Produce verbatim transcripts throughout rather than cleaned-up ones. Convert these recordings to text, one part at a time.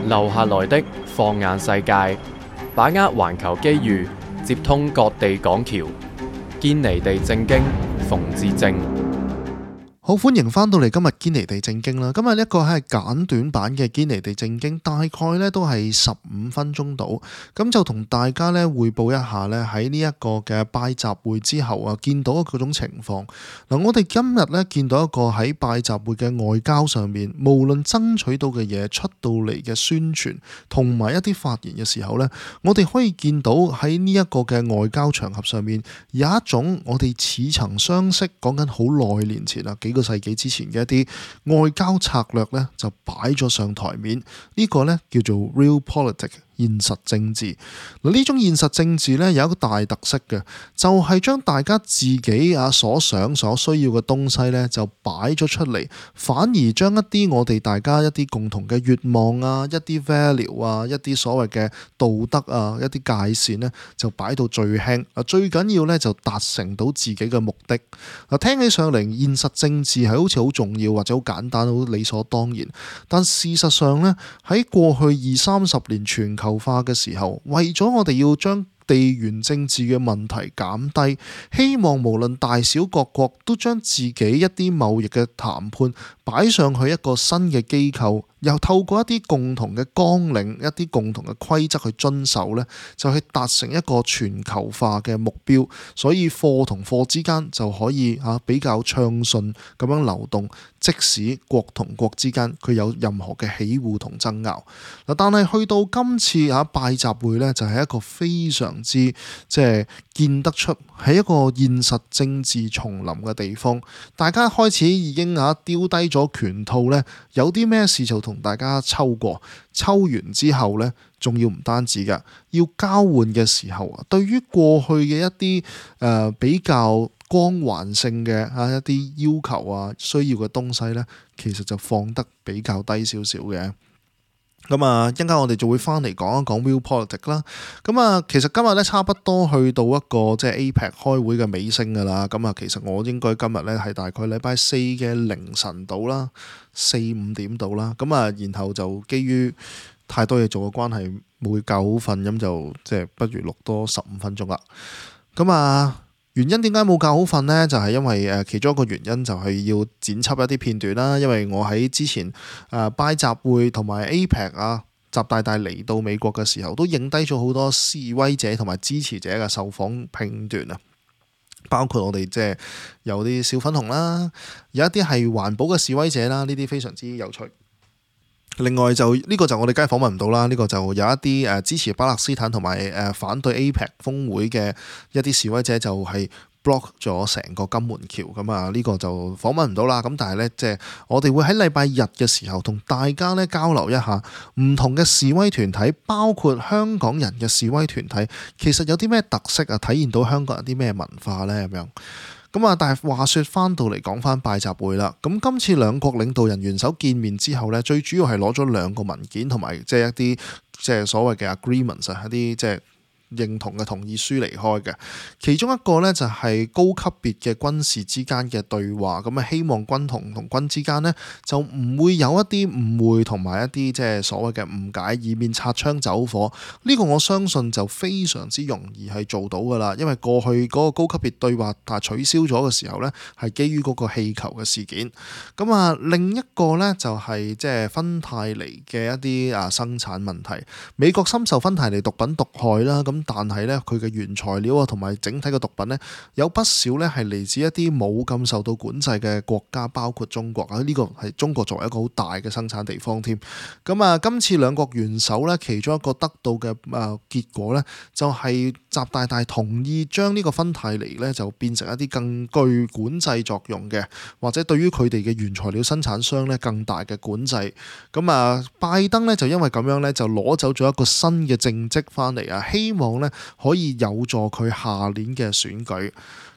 留下來的放眼世界，把握環球機遇，接通各地港橋，堅尼地正經，馮智政。好，歡迎翻到嚟今日堅尼地正經啦。今日一個係簡短版嘅堅尼地正經，大概咧都係十五分鐘到，咁就同大家咧匯報一下咧喺呢一個嘅拜習會之後啊，見到嗰種情況。嗱，我哋今日咧見到一個喺拜習會嘅外交上面，無論爭取到嘅嘢出到嚟嘅宣傳，同埋一啲發言嘅時候咧，我哋可以見到喺呢一個嘅外交場合上面有一種我哋似曾相識，講緊好耐年前啊，幾個世紀之前嘅一啲外交策略咧，就擺咗上台面。呢個咧叫做 real politics， 現實政治。嗱，呢種現實政治咧有一個大特色嘅，就係將大家自己啊所想所需要嘅東西咧就擺咗出嚟，反而將一啲我哋大家一啲共同嘅願望啊、一啲 value 啊、一啲所謂嘅道德啊、一啲界線咧就擺到最輕。啊，最緊要咧就達成到自己嘅目的。嗱，聽起上嚟現實政治係好似好重要或者好簡單、好理所當然，但事實上咧喺過去二三十年全球化嘅時候，為咗我哋要將地緣政治嘅問題減低，希望無論大小各國都將自己一啲貿易嘅談判擺上去一個新嘅機構，又透過一啲共同嘅綱領、一啲共同嘅規則去遵守呢，就去達成一個全球化嘅目標。所以貨同貨之間就可以啊比較暢順咁樣流動，即使國同國之間佢有任何嘅起互同爭拗。嗱，但係去到今次啊拜習會呢，就係一個非常之即係見得出係一個現實政治叢林嘅地方。大家開始已經啊丟低咗拳套呢，有啲咩事就同大家抽過，抽完之後呢，仲要唔單止㗎，要交換嘅時候啊，對於過去嘅一啲誒、呃、比較光環性嘅啊一啲要求啊需要嘅東西呢，其實就放得比較低少少嘅。咁啊，一陣間我哋就會翻嚟講一講 real politics 啦。咁啊，其實今日咧差不多去到一個即係 A P E C 開會嘅尾聲㗎啦。咁啊，其實我應該今日咧係大概禮拜四嘅凌晨到啦，四五點到啦。咁啊，然後就基於太多嘢做嘅關係，冇覺好瞓，咁就即係不如錄多十五分鐘啦。咁啊〜原因點解冇覺好瞓呢？就係因為誒其中一個原因就係要剪輯一啲片段啦。因為我喺之前誒拜習會同埋 A P E C 啊，習大大嚟到美國嘅時候，都影低咗好多示威者同埋支持者嘅受訪片段啊。包括我哋即係有啲小粉紅啦，有一啲係環保嘅示威者啦，呢啲非常之有趣。另外就呢、這個就我哋梗係訪問唔到啦，呢、這個就有一啲誒支持巴勒斯坦同埋誒反對 A P E C 峰會嘅一啲示威者就係 block 咗成個金門橋，咁啊呢個就訪問唔到啦。咁但係呢，即係我哋會喺禮拜日嘅時候同大家咧交流一下唔同嘅示威團體，包括香港人嘅示威團體，其實有啲咩特色啊，體現到香港人啲咩文化呢？咁樣。咁啊，但係話說翻到嚟講翻拜習會啦，咁今次兩國領導人元首見面之後呢，最主要係攞咗兩個文件同埋即係一啲即係所謂嘅 agreements 啊，一啲即係認同嘅同意書離開嘅。其中一個呢，就係高級別嘅軍事之間嘅對話，咁啊希望軍同同軍之間呢，就唔會有一啲誤會同埋一啲即係所謂嘅誤解，以免擦槍走火。呢個我相信就非常之容易係做到噶啦，因為過去嗰個高級別對話但係取消咗嘅時候呢，係基於嗰個氣球嘅事件。咁啊，另一個呢，就係即係芬太尼嘅一啲啊生產問題。美國深受芬太尼毒品毒害啦，咁但係咧，佢嘅原材料啊，同埋整體嘅毒品咧，有不少咧係嚟自一啲冇咁受到管制嘅國家，包括中國啊。呢個係中國作為一個好大嘅生產地方添。咁啊，今次兩國元首咧，其中一個得到嘅啊結果咧，就係習大大同意將呢個芬太尼咧，就變成一啲更具管制作用嘅，或者對於佢哋嘅原材料生產商咧更大嘅管制。咁啊，拜登咧就因為咁樣咧，就攞走咗一個新嘅政績翻嚟啊，希望咧可以有助佢下年嘅選舉。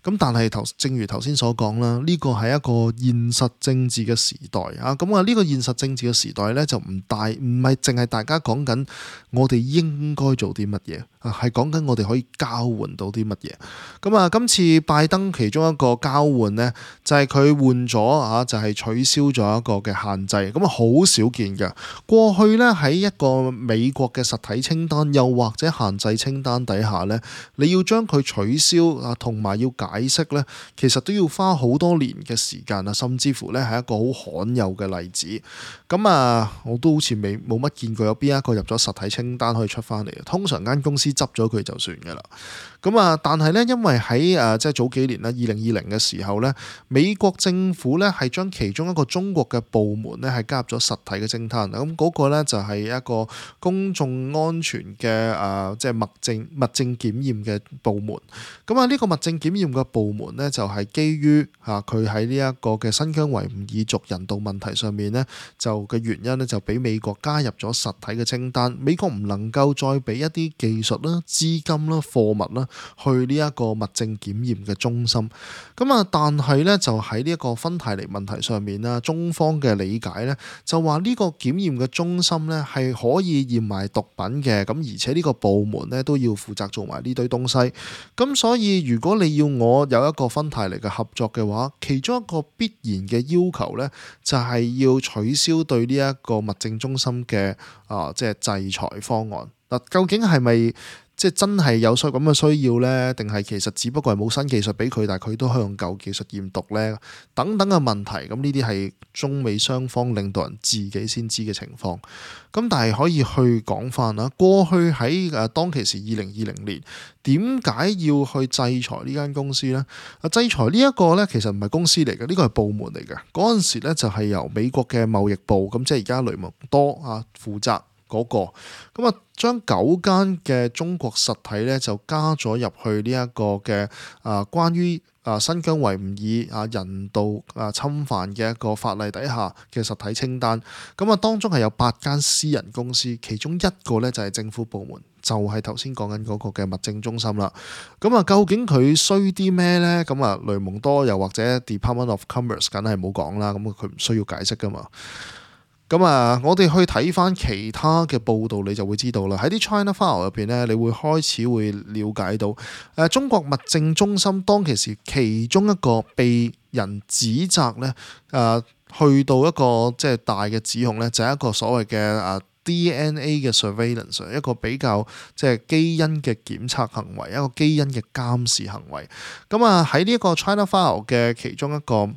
咁但係頭正如頭先所講啦，呢個係一個現實政治嘅時代啊。咁啊呢個現實政治嘅時代呢，就唔大唔係淨係大家講緊我哋應該做啲乜嘢啊，係講緊我哋可以交換到啲乜嘢。咁啊今次拜登其中一個交換呢，就係佢換咗啊，就係取消咗一個嘅限制。咁啊好少見嘅。過去呢，喺一個美國嘅實體清單又或者限制清單底下呢，你要將佢取消啊，同埋要解釋呢，其實都要花好多年嘅時間啊，甚至乎呢係一個好罕有嘅例子。咁啊，我都好似未冇乜見過有邊一個入咗實體清單可以出翻嚟。通常間公司執咗佢就算㗎啦。咁啊，但係呢，因為喺誒即係早幾年啦，二零二零嘅時候呢，美國政府呢係將其中一個中國嘅部門呢係加入咗實體嘅清單。咁嗰個呢就係一個公眾安全嘅誒即係物證物證檢驗嘅部門。咁啊，呢個物證檢驗嘅部門呢，就係基於嚇佢喺呢一個嘅新疆維吾爾族人道問題上面呢，就嘅原因呢，就俾美國加入咗實體嘅清單。美國唔能夠再俾一啲技術啦、資金啦、貨物啦去呢一個物證檢驗嘅中心。咁啊，但係呢，就喺呢一個芬太尼問題上面啦，中方嘅理解呢，就話呢個檢驗嘅中心呢係可以驗埋毒品嘅，咁而且呢個部門呢都要負責做埋呢堆東西。咁所以如果你要我有一個芬太尼嘅合作嘅話，其中一個必然嘅要求呢，就係要取消對呢一個物證中心嘅啊即係制裁方案。嗱，究竟係咪即係真係有需咁嘅需要呢？定係其實只不過係冇新技術俾佢，但係佢都可以用舊技術驗毒呢？等等嘅問題，咁呢啲係中美雙方領導人自己先知嘅情況。咁但係可以去講翻啦，過去喺誒當其時二零二零年，點解要去制裁呢間公司呢？啊，制裁呢一個呢，其實唔係公司嚟嘅，呢個係部門嚟嘅。嗰陣時呢，就係由美國嘅貿易部，咁即係而家雷蒙多啊負責。嗰、那個咁啊，將九間嘅中國實體咧就加咗入去呢一個嘅啊，關於啊新疆維吾爾啊人道啊侵犯嘅一個法例底下嘅實體清單。咁啊，當中係有八間私人公司，其中一個咧就係政府部門，就係頭先講緊嗰個嘅物證中心啦。咁啊，究竟佢衰啲咩咧？咁啊，雷蒙多又或者 Department of Commerce 梗係冇講啦。咁佢唔需要解釋噶嘛。咁啊，我哋去睇翻其他嘅報道，你就會知道啦。喺啲 China File 入邊咧，你會開始會了解到，誒、呃、中國物證中心當其時其中一個被人指責咧，誒、呃、去到一個即係大嘅指控咧，就係、是、一個所謂嘅誒 D N A 嘅 surveillance， 一個比較即係基因嘅檢測行為，一個基因嘅監視行為。咁啊，喺呢一個 China File 嘅其中一個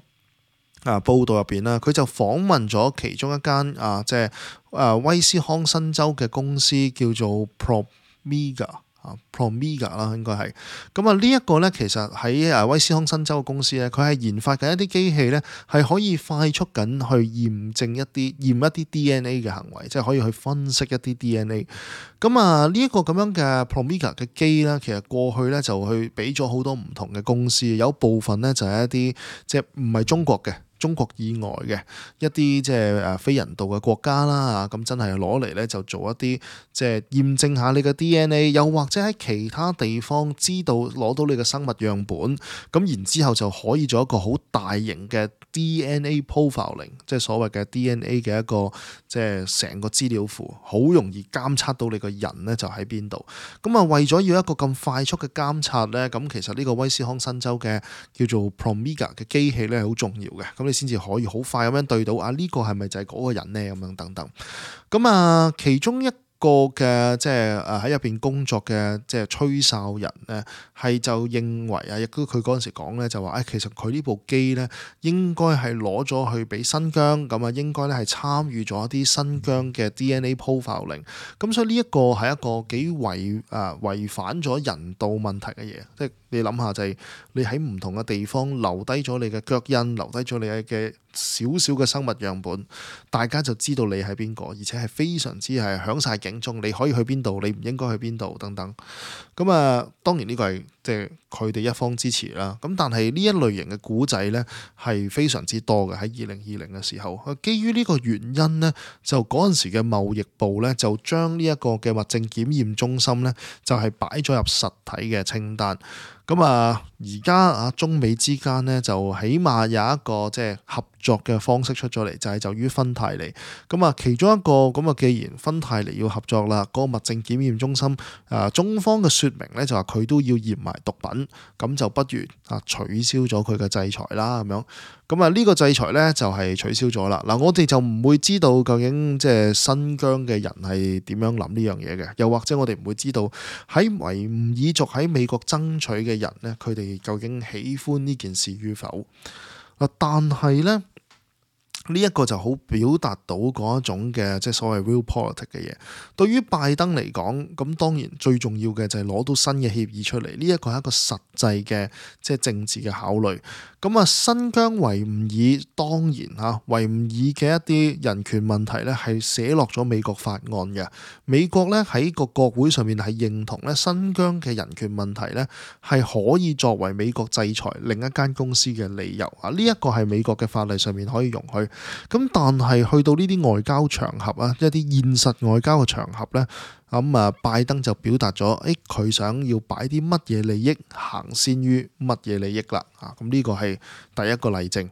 啊報道入邊啦，佢就訪問咗其中一間啊，即係啊威斯康辛州嘅公司叫做 Promega 啊 Promega 啦，應該係咁啊。呢一個咧，其實喺啊威斯康辛州嘅公司咧，佢係研發緊一啲機器咧，係可以快速緊去驗證一啲驗一啲 D N A 嘅行為，即係可以去分析一啲 D N A。咁啊，呢一個咁樣嘅 Promega 嘅機咧，其實過去咧就去俾咗好多唔同嘅公司，有部分咧就係一啲即係唔係中國嘅。中國以外嘅一啲即係誒非人道嘅國家啦，咁真係攞嚟咧就做一啲即係驗證下你嘅 D N A， 又或者喺其他地方知道攞到你嘅生物樣本，咁然之後就可以做一個好大型嘅 D N A profiling， 即係所謂嘅 D N A 嘅一個即係成個資料庫，好容易監測到你個人咧就喺邊度。咁啊，為咗要一個咁快速嘅監察咧，咁其實呢個威斯康辛州嘅叫做 Promega 嘅機器咧係好重要嘅。咁你先至可以好快咁樣對到啊，呢個係咪就係嗰個人呢？咁樣等等。咁啊，其中一個嘅即係誒喺入邊工作嘅即係吹哨人咧，係就認為啊，亦都佢嗰陣時講咧就話誒，其實佢呢部機咧應該係攞咗去俾新疆，咁啊應該咧係參與咗一啲新疆嘅 D N A profiling。咁所以呢一個係一個幾違誒違反咗人道問題嘅嘢，即係你諗下就係你喺唔同嘅地方留低咗你嘅腳印，留低咗你嘅少少嘅生物樣本，大家就知道你係邊個，而且係非常之係響晒警鐘，你可以去邊度，你唔應該去邊度等等。咁啊，當然呢個係即係佢哋一方支持啦。咁但係呢一類型嘅古仔呢，係非常之多嘅。喺二零二零嘅時候，基於呢個原因呢，就嗰陣時嘅貿易部呢，就將呢一個嘅物證檢驗中心呢，就係擺咗入實體嘅清單。咁啊，而家啊中美之間呢，就起碼有一個即係合作嘅方式出咗嚟，就係就於芬太尼。咁啊，其中一個咁啊，既然芬太尼要合作啦，嗰、那個物證檢驗中心啊，中方嘅説明呢，就話佢都要驗埋毒品，咁就不如啊取消咗佢嘅制裁啦，咁樣。咁啊呢個制裁呢，就係取消咗啦。嗱，我哋就唔會知道究竟即係新疆嘅人係點樣諗呢樣嘢嘅，又或者我哋唔會知道喺維吾爾族喺美國爭取嘅人呢，佢哋究竟喜歡呢件事與否？嗱，但係呢。呢一個就好表達到嗰一種嘅即係所謂 real politics 嘅嘢。對於拜登嚟講，咁當然最重要嘅就係攞到新嘅協議出嚟。呢一個係一個實際嘅即係政治嘅考慮。咁啊，新疆維吾爾當然嚇維吾爾嘅一啲人權問題咧係寫落咗美國法案嘅。美國咧喺個國會上面係認同咧新疆嘅人權問題咧係可以作為美國制裁另一間公司嘅理由啊。呢一個係美國嘅法例上面可以容許。咁但係去到呢啲外交場合啊，一啲現實外交嘅場合呢，咁啊拜登就表達咗，誒佢想要擺啲乜嘢利益行先於乜嘢利益啦，啊咁呢個係第一個例證。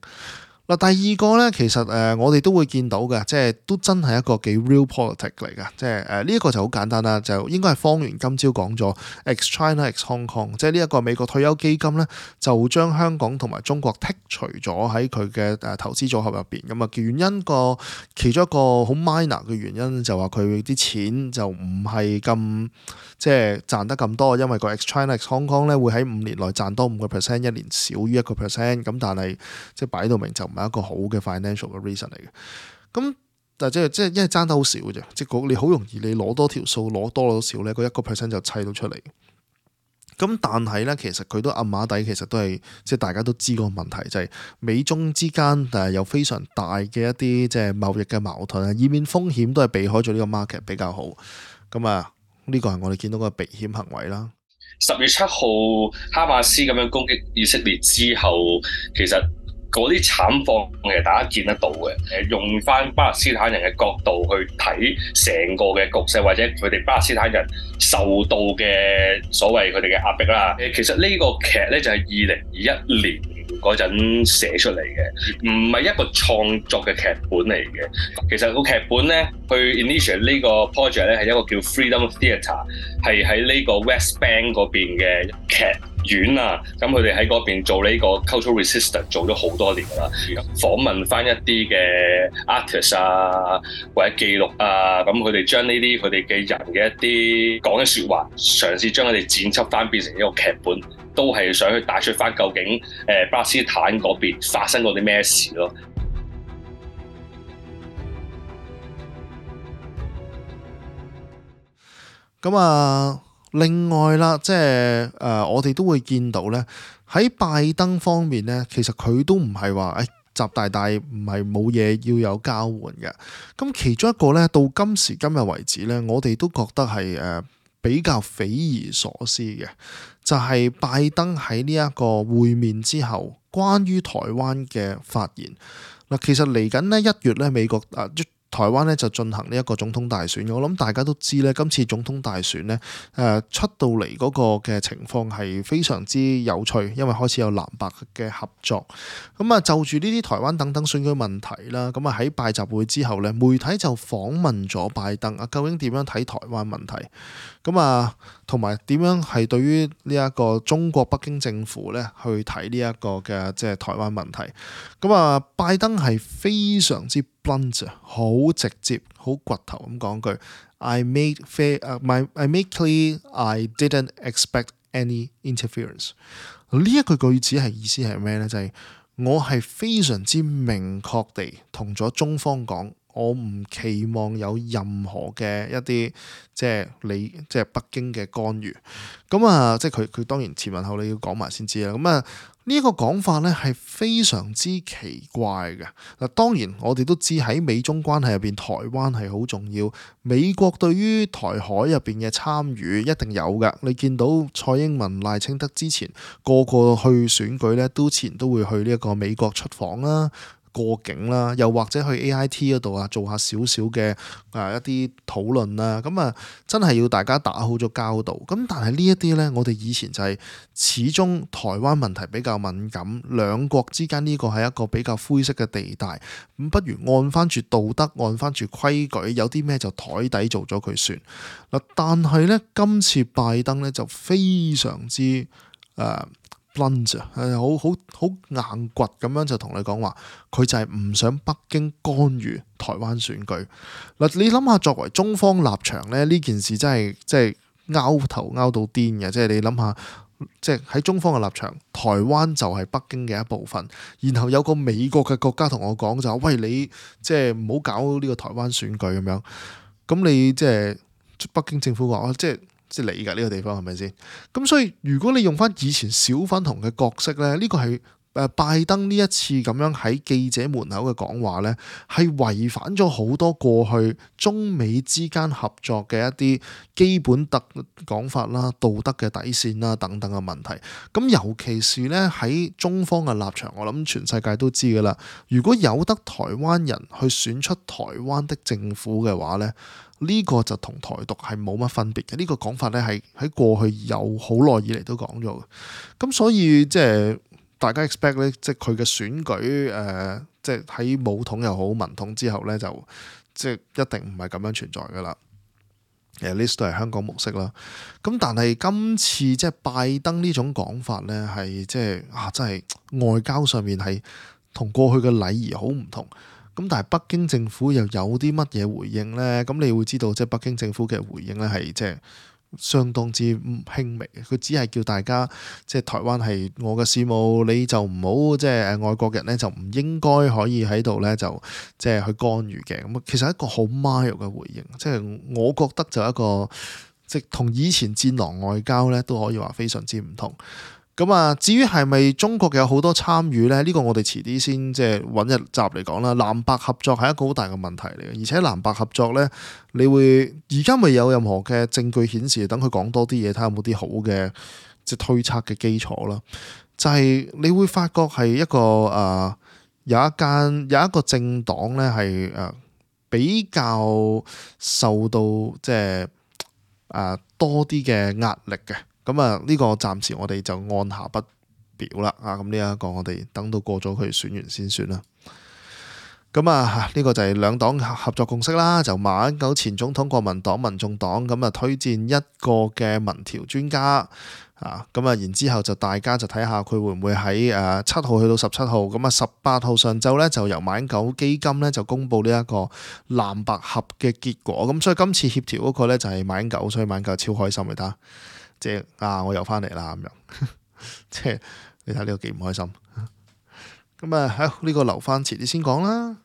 嗱，第二個咧，其實誒、呃、我哋都會見到嘅，即係都真係一個幾 real politics 嚟嘅，即係誒呢一個就好簡單啦，就應該係方圓今朝講咗 ex China ex Hong Kong，即係呢一個美國退休基金咧，就將香港同埋中國剔除咗喺佢嘅誒投資組合入邊，咁啊原因個其中一個好 minor 嘅原因就話佢啲錢就唔係咁即係賺得咁多，因為個 ex China ex Hong Kong 咧會喺五年內賺多五個 percent， 一年少於一個 percent， 咁但係即係擺到明就唔係一個好嘅 financial 嘅 reason 嚟嘅，咁但係即係即係因為爭得好少嘅啫，即係你好容易你攞多條數攞多咗少咧，嗰一個 percent 就砌到出嚟。咁但係咧，其實佢都暗碼底，其實都係即係大家都知個問題，就係、是、美中之間誒有非常大嘅一啲即係貿易嘅矛盾啊，以免風險都係避開咗呢個 market 比較好。咁啊，呢個係我哋見到個避險行為啦。十月七號哈馬斯咁樣攻擊以色列之後，其實嗰啲慘況其實大家見得到嘅。誒，用翻巴勒斯坦人嘅角度去睇成個嘅局勢，或者佢哋巴勒斯坦人受到嘅所謂佢哋嘅壓迫啦。誒，其實呢個劇咧就係二零二一年嗰陣寫出嚟嘅，唔係一個創作嘅劇本嚟嘅。其實個劇本咧，去 initiate 呢個 project 咧係一個叫 Freedom Theatre，係喺呢個 West Bank 嗰邊嘅劇院啊。咁佢哋喺嗰邊做呢個 cultural resistance 做咗好多年啦，訪問翻一啲嘅 artist 啊，或者記錄啊，咁佢哋將呢啲佢哋嘅人嘅一啲講嘅説話，嘗試將佢哋剪輯翻變成一個劇本。都係想去帶出翻究竟誒巴勒斯坦嗰邊發生過啲咩事咯。咁啊，另外啦，即係誒、呃，我哋都會見到咧，喺拜登方面咧，其實佢都唔係話誒習大大唔係冇嘢要有交換嘅。咁其中一個咧，到今時今日為止咧，我哋都覺得係誒、呃、比較匪夷所思嘅。就係拜登喺呢一個會面之後，關於台灣嘅發言嗱，其實嚟緊呢一月咧，美國啊台灣咧就進行呢一個總統大選。我諗大家都知咧，今次總統大選咧誒出到嚟嗰個嘅情況係非常之有趣，因為開始有藍白嘅合作。咁啊，就住呢啲台灣等等選舉問題啦，咁啊喺拜習會之後咧，媒體就訪問咗拜登啊，究竟點樣睇台灣問題？咁啊，同埋點樣係對於呢一個中國北京政府咧去睇呢一個嘅即係台灣問題？咁啊，拜登係非常之 blunt， 好直接，好掘頭咁講句 I made fair, uh, my, I made clear I didn't expect any interference。呢一句句子係意思係咩咧？就係、是、我係非常之明確地同咗中方講。我唔期望有任何嘅一啲即係你即係北京嘅干預，咁啊即係佢佢當然前文後理要講埋先知啦。咁啊呢一個講法咧係非常之奇怪嘅。嗱，當然我哋都知喺美中關係入邊，台灣係好重要。美國對於台海入邊嘅參與一定有㗎。你見到蔡英文、賴清德之前個個去選舉咧，都前都會去呢一個美國出訪啦。過境啦，又或者去 A I T 嗰度啊做下少少嘅啊一啲討論啦，咁啊真係要大家打好咗交道。咁但係呢一啲呢，我哋以前就係始終台灣問題比較敏感，兩國之間呢個係一個比較灰色嘅地帶，咁不如按翻住道德，按翻住規矩，有啲咩就台底做咗佢算嗱。但係呢，今次拜登呢就非常之誒。呃係好好好硬掘咁樣就同你講話，佢就係唔想北京干預台灣選舉嗱。你諗下，作為中方立場咧，呢件事真係即係拗頭拗到癲嘅。即係你諗下，即係喺中方嘅立場，台灣就係北京嘅一部分。然後有個美國嘅國家同我講就話，喂，你即係唔好搞呢個台灣選舉咁樣。咁你即係北京政府話，即係。即係你㗎呢個地方係咪先？咁所以如果你用翻以前小粉紅嘅角色咧，呢個係誒拜登呢一次咁樣喺記者門口嘅講話咧，係違反咗好多過去中美之間合作嘅一啲基本特講法啦、道德嘅底線啦等等嘅問題。咁尤其是咧喺中方嘅立場，我諗全世界都知㗎啦。如果有得台灣人去選出台灣的政府嘅話咧，呢個就同台獨係冇乜分別嘅。呢個講法咧係喺過去有好耐以嚟都講咗嘅。咁所以即係大家 expect 咧，即係佢嘅選舉誒，即係喺武統又好民統之後咧，就即係一定唔係咁樣存在噶啦。誒 list 都係香港模式啦。咁但係今次即係拜登呢種講法咧，係即係啊，真係外交上面係同過去嘅禮儀好唔同。咁但係北京政府又有啲乜嘢回應呢？咁你會知道，即係北京政府嘅回應咧係即係相當之輕微嘅。佢只係叫大家即係台灣係我嘅事務，你就唔好即係誒外國人咧就唔應該可以喺度咧就即係去干預嘅。咁其實係一個好 mild 嘅回應，即係我覺得就一個即係同以前戰狼外交咧都可以話非常之唔同。咁啊，至於係咪中國有好多參與呢？呢、呢個我哋遲啲先即係揾一集嚟講啦。藍白合作係一個好大嘅問題嚟嘅，而且藍白合作呢，你會而家未有任何嘅證據顯示，等佢講多啲嘢，睇下有冇啲好嘅即係推測嘅基礎啦。就係、是、你會發覺係一個誒、呃、有一間有一個政黨呢係誒比較受到即係誒、呃、多啲嘅壓力嘅。咁啊，呢個暫時我哋就按下不表啦。啊，咁呢一個我哋等到過咗佢選完先算啦。咁啊，呢個就係兩黨合作共識啦。就馬英九前總統、國民黨、民眾黨咁啊，推薦一個嘅民調專家啊。咁啊，然之後就大家就睇下佢會唔會喺誒七號去到十七號。咁啊，十八號上晝咧就由馬英九基金咧就公布呢一個藍白合嘅結果。咁所以今次協調嗰個咧就係馬英九，所以馬英九超開心嚟睇。即係啊！我又翻嚟啦咁樣，即係你睇呢個幾唔開心。咁啊，喺呢個留翻遲啲先講啦。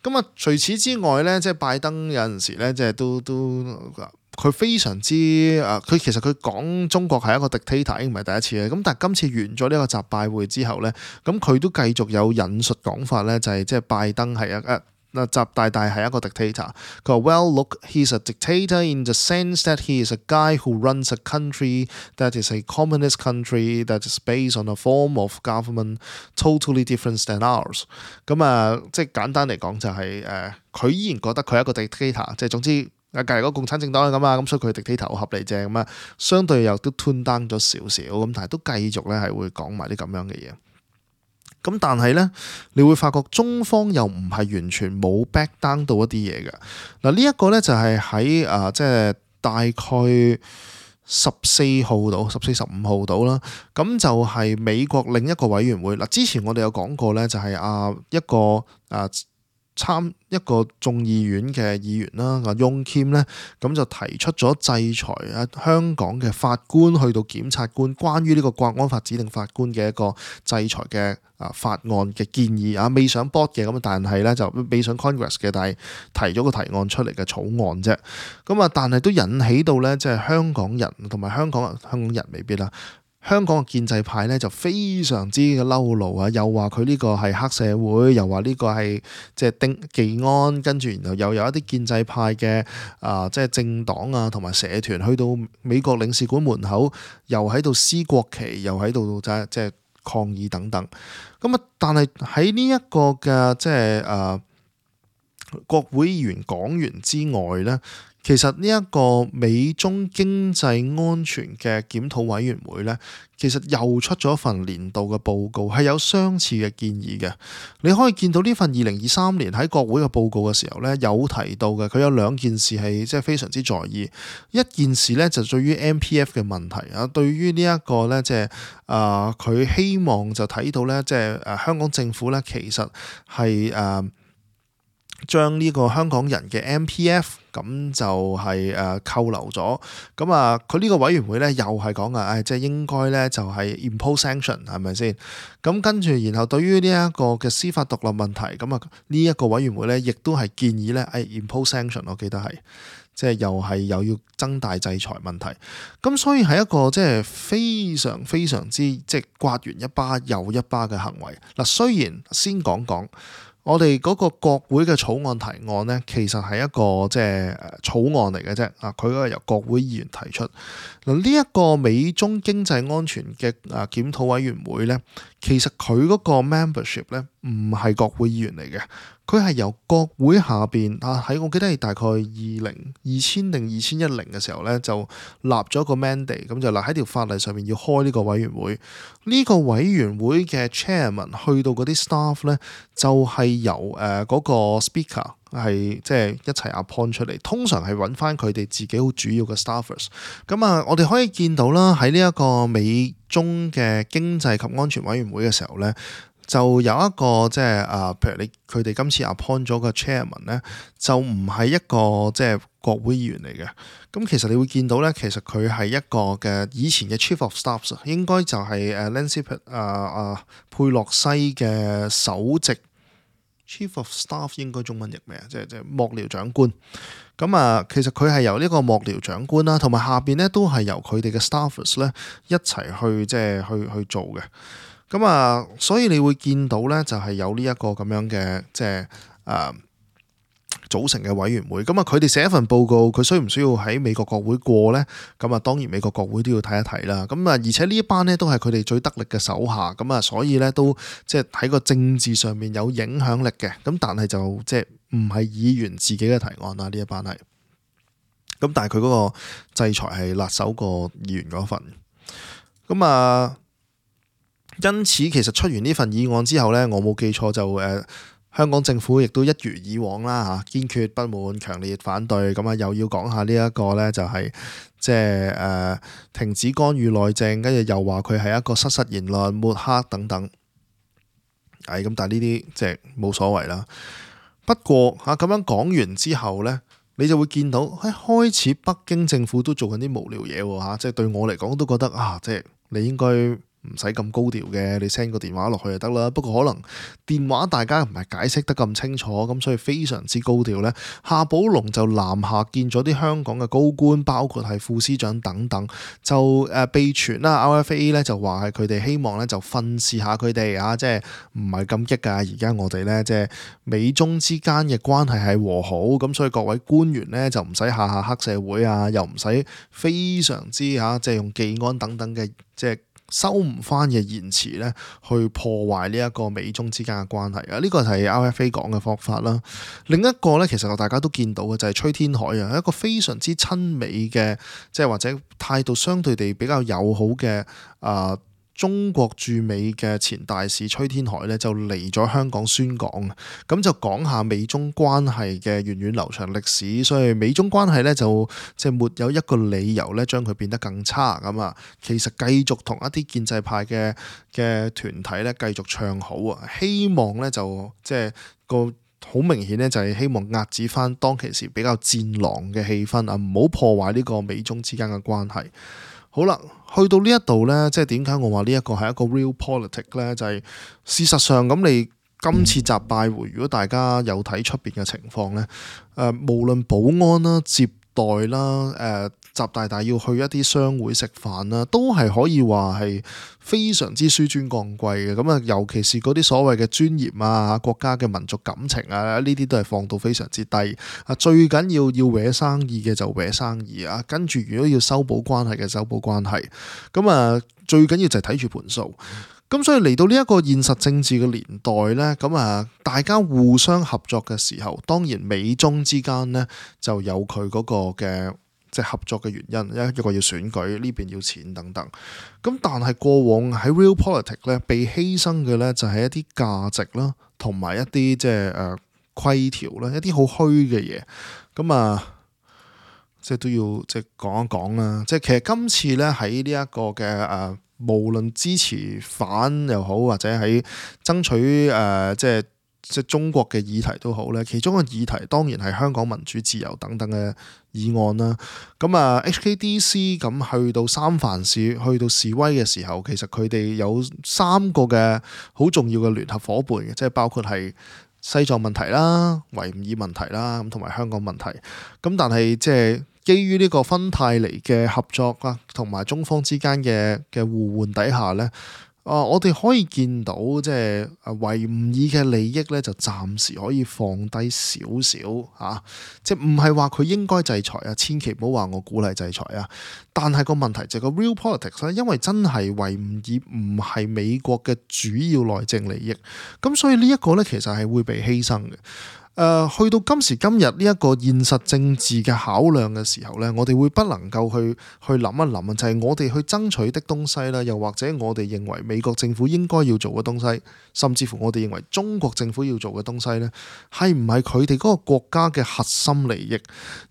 咁啊，除此之外咧，即係拜登有陣時咧，即係都都佢非常之啊，佢其實佢講中國係一個 dictator 已經唔係第一次嘅。咁但係今次完咗呢個習拜會之後咧，咁佢都繼續有引述講法咧，就係即係拜登係一一。嗱，習大大係一個 dictator。佢話 ：Well, look, he's a dictator in the sense that he is a guy who runs a country that is a communist country that is based on a form of government totally different than ours。咁啊，即係簡單嚟講就係、是、誒，佢、呃、依然覺得佢係一個 dictator，即係總之啊，隔離嗰個共產政黨係咁啊，咁所以佢 dictator 好合理啫。咁啊，相對又都 tune down 咗少少，咁但係都繼續咧係會講埋啲咁樣嘅嘢。咁但係咧，你會發覺中方又唔係完全冇 back down 到一啲嘢嘅。嗱，呢一個咧就係喺誒即係大概十四號到十四十五號到啦。咁就係美國另一個委員會嗱。之前我哋有講過咧，就係啊一個啊參一個眾議院嘅議員啦，阿翁謙咧，咁就提出咗制裁啊香港嘅法官去到檢察官，關於呢個國安法指定法官嘅一個制裁嘅啊法案嘅建議啊，未上 board 嘅咁，但係咧就未上 Congress 嘅，但係提咗個提案出嚟嘅草案啫。咁啊，但係都引起到咧，即係香港人同埋香港人，香港人未必啦。香港嘅建制派咧就非常之嘅嬲怒啊！又話佢呢個係黑社會，又話呢個係即係丁技安，跟住然後又有一啲建制派嘅啊，即係政黨啊同埋社團去到美國領事館門口，又喺度撕國旗，又喺度即係即係抗議等等。咁啊，但係喺呢一個嘅即係誒國會議員講完之外咧，其實呢一個美中經濟安全嘅檢討委員會咧，其實又出咗一份年度嘅報告，係有相似嘅建議嘅。你可以見到呢份二零二三年喺國會嘅報告嘅時候咧，有提到嘅，佢有兩件事係即係非常之在意。一件事咧就對於 M P F 嘅問題啊，對於呢一個咧即係啊，佢、呃、希望就睇到咧即係誒香港政府咧其實係誒。呃將呢個香港人嘅 M P F 咁就係誒扣留咗，咁啊佢呢個委員會咧又係講啊，誒即係應該咧就係 impose sanction 係咪先？咁跟住然後對於呢一個嘅司法獨立問題，咁啊呢一個委員會咧亦都係建議咧誒 impose sanction，我記得係即係又係又要增大制裁問題，咁所以係一個即係非常非常之即係刮完一巴又一巴嘅行為。嗱，雖然先講講。我哋嗰個國會嘅草案提案呢，其實係一個即係草案嚟嘅啫。啊，佢嗰個由國會議員提出。嗱，呢一個美中經濟安全嘅啊檢討委員會呢，其實佢嗰個 membership 呢，唔係國會議員嚟嘅，佢係由國會下邊啊喺我記得係大概二零二千定二千一零嘅時候呢，就立咗個 mandate，咁就立喺條法例上面要開呢個委員會。呢、這個委員會嘅 chairman 去到嗰啲 staff 呢，就係、是、由誒嗰、呃那個 speaker 係即係一齊 appoint 出嚟，通常係揾翻佢哋自己好主要嘅 staffers。咁啊，我哋可以見到啦，喺呢一個美中嘅經濟及安全委員會嘅時候呢，就有一個即係啊，譬如你佢哋今次 appoint 咗個 chairman 咧，就唔係一個即係國會議員嚟嘅。咁其實你會見到咧，其實佢係一個嘅以前嘅 chief of staff，應該就係誒 Nancy 啊啊佩洛西嘅首席 chief of staff， 應該中文譯咩啊？即係即係幕僚長官。咁啊，其實佢係由呢個幕僚長官啦，同埋下邊咧都係由佢哋嘅 staffers 咧一齊去即係去去做嘅。咁啊，所以你會見到咧，就係有呢一個咁樣嘅即係誒組成嘅委員會。咁啊，佢哋寫一份報告，佢需唔需要喺美國國會過咧？咁啊，當然美國國會都要睇一睇啦。咁啊，而且呢一班咧都係佢哋最得力嘅手下。咁啊，所以咧都即係喺個政治上面有影響力嘅。咁但係就即係唔係議員自己嘅提案啦。呢一班係。咁但係佢嗰個制裁係辣手過議員嗰份。咁啊。因此，其實出完呢份議案之後呢，我冇記錯就誒、呃、香港政府亦都一如以往啦嚇，堅決不滿、強烈反對，咁啊又要講下呢一個呢，就係即係誒停止干預內政，跟住又話佢係一個失實言論、抹黑等等。係咁，但係呢啲即係冇所謂啦。不過嚇咁樣講完之後呢，你就會見到喺開始北京政府都做緊啲無聊嘢喎嚇，即係對我嚟講都覺得啊，即係你應該。唔使咁高調嘅，你 send 個電話落去就得啦。不過可能電話大家唔係解釋得咁清楚，咁所以非常之高調呢。夏寶龍就南下見咗啲香港嘅高官，包括係副司長等等，就誒被傳啦。R F A 咧就話係佢哋希望咧就訓示下佢哋啊，即係唔係咁激㗎。而家我哋咧即係美中之間嘅關係係和好，咁所以各位官員咧就唔使下下黑社會啊，又唔使非常之嚇即係用技安等等嘅即係。收唔翻嘅言辭咧，去破壞呢一個美中之間嘅關係啊！呢個係 R F A 講嘅方法啦。另一個咧，其實大家都見到嘅就係崔天凱啊，一個非常之親美嘅，即係或者態度相對地比較友好嘅啊。呃中國駐美嘅前大使崔天凱咧就嚟咗香港宣講，咁就講下美中關係嘅源遠流長歷史，所以美中關係咧就即係沒有一個理由咧將佢變得更差咁啊。其實繼續同一啲建制派嘅嘅團體咧繼續唱好啊，希望咧就即係個好明顯咧就係希望壓止翻當其時比較戰狼嘅氣氛啊，唔好破壞呢個美中之間嘅關係。好啦，去到呢一度呢，即係點解我話呢一個係一個 real politics 呢？就係、是、事實上咁，你今次習拜會，如果大家有睇出邊嘅情況呢，誒、呃，無論保安啦、接待啦，誒、呃，習大大要去一啲商會食飯啦，都係可以話係非常之紆尊降貴嘅。咁啊，尤其是嗰啲所謂嘅尊嚴啊、國家嘅民族感情啊，呢啲都係放到非常之低。啊，最緊要要搲生意嘅就搲生意啊，跟住如果要修補關係嘅修補關係。咁啊，最緊要就係睇住盤數。咁所以嚟到呢一個現實政治嘅年代呢，咁啊大家互相合作嘅時候，當然美中之間呢就有佢嗰個嘅即係合作嘅原因，一一個要選舉，呢邊要錢等等。咁但係過往喺 realpolitik 咧被犧牲嘅呢，就係一啲價值啦，同埋一啲即係誒規條啦，一啲好虛嘅嘢。咁啊即係都要即係講一講啦。即係其實今次呢，喺呢一個嘅誒。呃無論支持反又好，或者喺爭取誒、呃、即係即係中國嘅議題都好咧，其中嘅議題當然係香港民主自由等等嘅議案啦。咁啊 H K D C 咁去到三藩市去到示威嘅時候，其實佢哋有三個嘅好重要嘅聯合伙伴嘅，即係包括係西藏問題啦、維吾爾問題啦，咁同埋香港問題。咁但係即係基於呢個芬太尼嘅合作啊，同埋中方之間嘅嘅互換底下咧，啊，我哋可以見到即係維吾爾嘅利益咧，就暫時可以放低少少嚇，即係唔係話佢應該制裁啊，千祈唔好話我鼓勵制裁啊。但係個問題就係個 realpolitik 咧，因為真係維吾爾唔係美國嘅主要內政利益，咁所以呢一個咧其實係會被犧牲嘅。誒、呃、去到今時今日呢一個現實政治嘅考量嘅時候呢，我哋會不能夠去去諗一諗啊，就係、是、我哋去爭取的東西啦，又或者我哋認為美國政府應該要做嘅東西，甚至乎我哋認為中國政府要做嘅東西呢，係唔係佢哋嗰個國家嘅核心利益？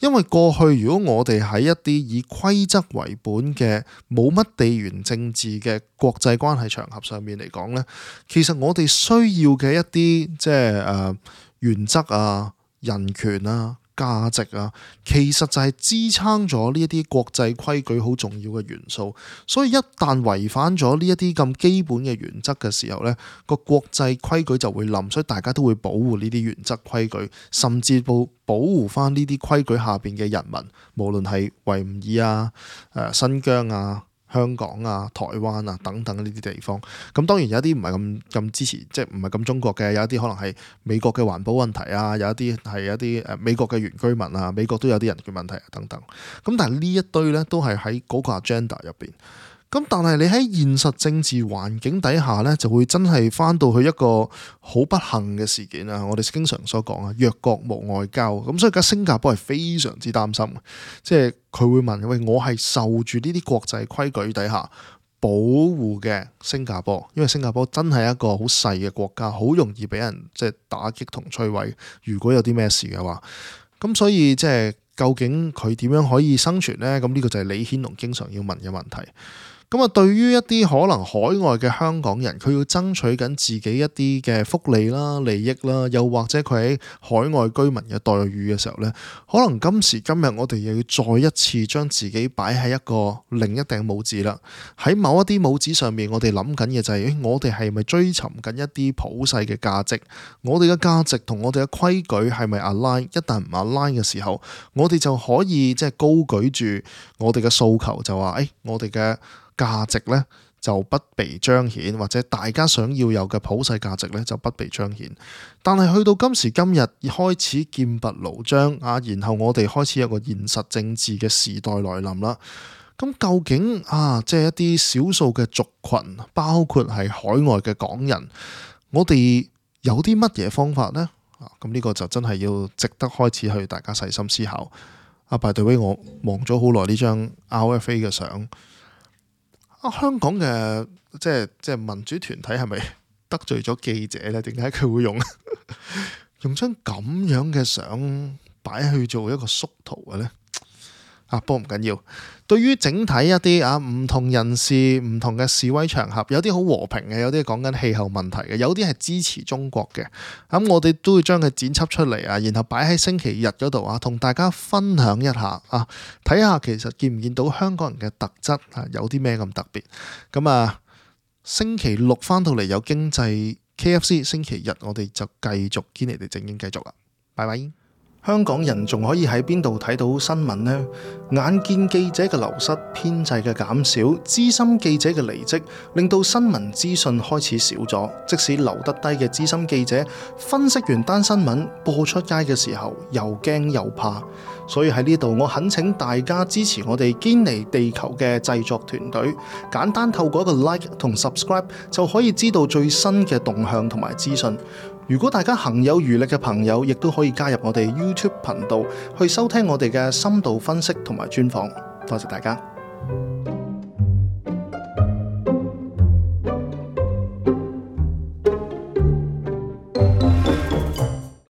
因為過去如果我哋喺一啲以規則為本嘅冇乜地緣政治嘅國際關係場合上面嚟講呢，其實我哋需要嘅一啲即係誒。呃原則啊、人權啊、價值啊，其實就係支撐咗呢一啲國際規矩好重要嘅元素。所以一旦違反咗呢一啲咁基本嘅原則嘅時候呢，個國際規矩就會冧，所以大家都會保護呢啲原則規矩，甚至保保護翻呢啲規矩下邊嘅人民，無論係維吾爾啊、誒新疆啊、香港啊、台灣啊等等呢啲地方。咁當然有一啲唔係咁咁支持，即係唔係咁中國嘅，有一啲可能係美國嘅環保問題啊，有一啲係一啲誒美國嘅原居民啊，美國都有啲人權問題啊等等。咁但係呢一堆咧都係喺嗰個 agenda 入邊。咁但係你喺現實政治環境底下咧，就會真係翻到去一個好不幸嘅事件啊！我哋經常所講啊，弱國無外交。咁所以而家新加坡係非常之擔心，即係佢會問：喂，我係受住呢啲國際規矩底下保護嘅新加坡，因為新加坡真係一個好細嘅國家，好容易俾人即係打擊同摧毀。如果有啲咩事嘅話，咁所以即係究竟佢點樣可以生存呢？咁呢個就係李顯龍經常要問嘅問題。咁啊，對於一啲可能海外嘅香港人，佢要爭取緊自己一啲嘅福利啦、利益啦，又或者佢喺海外居民嘅待遇嘅時候呢，可能今時今日我哋又要再一次將自己擺喺一個另一頂帽子啦。喺某一啲帽子上面，我哋諗緊嘅就係，誒，我哋係咪追尋緊一啲普世嘅價值？我哋嘅價值同我哋嘅規矩係咪 align？一旦唔 align 嘅時候，我哋就可以即係高舉住我哋嘅訴求，就話誒，我哋嘅價值咧就不被彰顯，或者大家想要有嘅普世價值咧就不被彰顯。但係去到今時今日開始劍拔弩張啊，然後我哋開始有個現實政治嘅時代來臨啦。咁究竟啊，即係一啲少數嘅族群，包括係海外嘅港人，我哋有啲乜嘢方法呢？啊，咁呢個就真係要值得開始去大家細心思考。啊，by the way，我望咗好耐呢張 R F A 嘅相。啊！香港嘅即係即係民主團體係咪得罪咗記者咧？點解佢會用用張咁樣嘅相擺去做一個縮圖嘅咧？啊，不過唔緊要。對於整體一啲啊唔同人士、唔同嘅示威場合，有啲好和平嘅，有啲講緊氣候問題嘅，有啲係支持中國嘅。咁我哋都會將佢剪輯出嚟啊，然後擺喺星期日嗰度啊，同大家分享一下啊，睇下其實見唔見到香港人嘅特質啊，有啲咩咁特別。咁啊，星期六翻到嚟有經濟 K F C， 星期日我哋就繼續堅尼地正經繼續啦。拜拜。香港人仲可以喺邊度睇到新聞呢？眼見記者嘅流失、編制嘅減少、資深記者嘅離職，令到新聞資訊開始少咗。即使留得低嘅資深記者分析完單新聞播出街嘅時候，又驚又怕。所以喺呢度，我懇請大家支持我哋堅尼地球嘅製作團隊，簡單透過一個 like 同 subscribe 就可以知道最新嘅動向同埋資訊。如果大家行有餘力嘅朋友，亦都可以加入我哋 YouTube 頻道去收聽我哋嘅深度分析同埋專訪。多謝大家。